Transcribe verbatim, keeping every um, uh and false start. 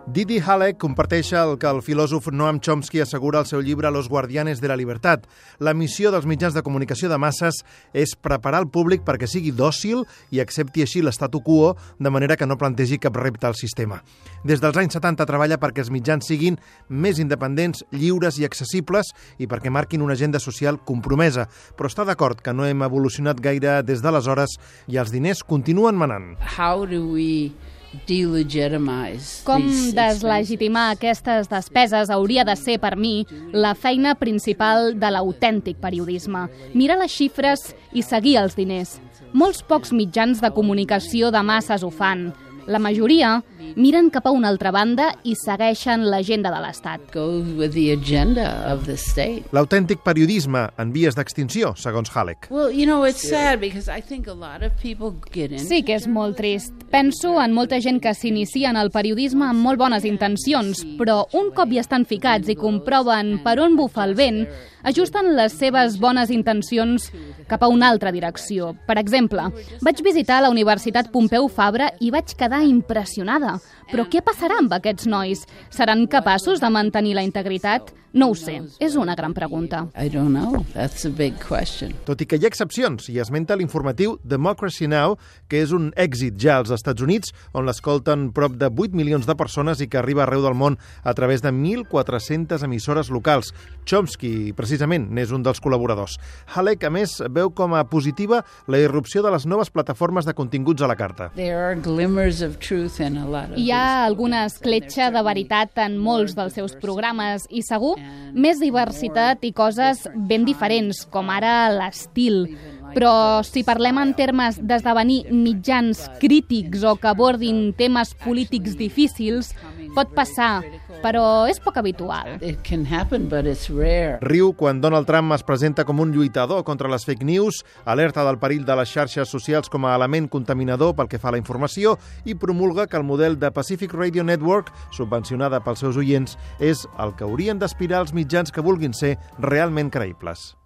Didi Haller comparteix el que el filòsof Noam Chomsky assegura al seu llibre Los guardianes de la libertad. La missió dels mitjans de comunicació de masses és preparar el públic perquè sigui dòcil i accepti així l'statu quo, de manera que no plantegi cap repte al sistema. Des dels anys setanta treballa perquè els mitjans siguin més independents, lliures i accessibles i perquè marquin una agenda social compromesa, però està d'acord que no hem evolucionat gaire des d'aleshores i els diners continuen manant. How do we Com deslegitimar aquestes despeses hauria de ser, per mi, la feina principal de l'autèntic periodisme. Mirar les xifres i seguir els diners. Molts pocs mitjans de comunicació de masses ho fan. La majoria miren cap a una altra banda i segueixen l'agenda de l'Estat. L'autèntic periodisme en vies d'extinció, segons Haller. Sí que és molt trist. Penso en molta gent que s'inicia en el periodisme amb molt bones intencions, però un cop hi estan ficats i comproven per on bufa el vent, ajusten les seves bones intencions cap a una altra direcció. Per exemple, vaig visitar la Universitat Pompeu Fabra i vaig quedar impressionada. Però què passarà amb aquests nois? Seran capaços de mantenir la integritat? No ho sé. És una gran pregunta. I don't know. That's a big question. Tot i que hi ha excepcions, i esmenta l'informatiu Democracy Now!, que és un èxit ja als Estats Units, on l'escolten prop de vuit milions de persones i que arriba arreu del món a través de mil quatre-centes emissores locals. Chomsky, precisament, n'és un dels col·laboradors. Haller, a més, veu com a positiva la irrupció de les noves plataformes de continguts a la carta. There are glimmers of truth in a lot of Hi ha alguna escletxa de veritat en molts dels seus programes i segur més diversitat i coses ben diferents, com ara l'estil. Però si parlem en termes d'esdevenir mitjans crítics o que abordin temes polítics difícils, pot passar, però és poc habitual. It can happen, but it's rare. Riu quan Donald Trump es presenta com un lluitador contra les fake news, alerta del perill de les xarxes socials com a element contaminador pel que fa a la informació i promulga que el model de Pacific Radio Network, subvencionada pels seus oients, és el que haurien d'aspirar els mitjans que vulguin ser realment creïbles.